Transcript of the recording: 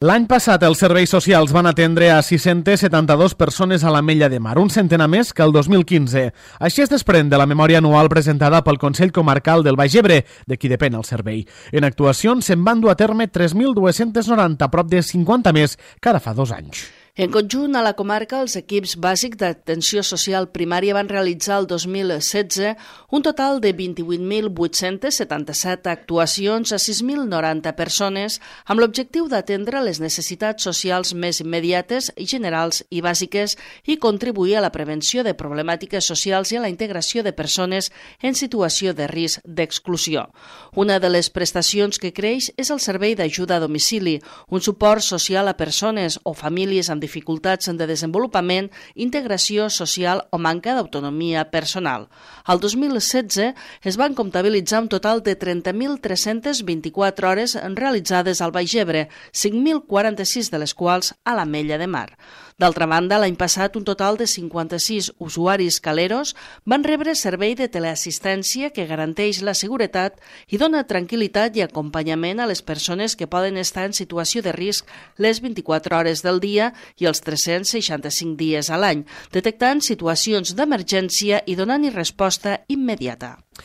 L'any passat els serveis socials van atendre a 672 persones a l'Ametlla de Mar, un centenar més que el 2015. Així es desprèn de la memòria anual presentada pel Consell Comarcal del Baix Ebre, de qui depèn el servei. En actuacions se'n van dur a terme 3.290, prop de 50 més cada fa 2 anys. En conjunt, a la comarca, els equips bàsics d'atenció social primària van realitzar el 2016 un total de 28.877 actuacions a 6.090 persones amb l'objectiu d'atendre les necessitats socials més immediates, generals i bàsiques i contribuir a la prevenció de problemàtiques socials i a la integració de persones en situació de risc d'exclusió. Una de les prestacions que creix és el servei d'ajuda a domicili, un suport social a persones o famílies amb dificultats de desenvolupament, integració social o manca d'autonomia personal. Al 2016 es van comptabilitzar un total de 30.324 hores realitzades al Baix Ebre, 5.046 de les quals a l'Ametlla de Mar. D'altra banda, l'any passat un total de 56 usuaris caleros van rebre servei de teleassistència que garanteix la seguretat i dona tranquil·litat i acompanyament a les persones que poden estar en situació de risc les 24 hores del dia i els 365 dies a l'any, detectant situacions d'emergència i donant-hi resposta immediata.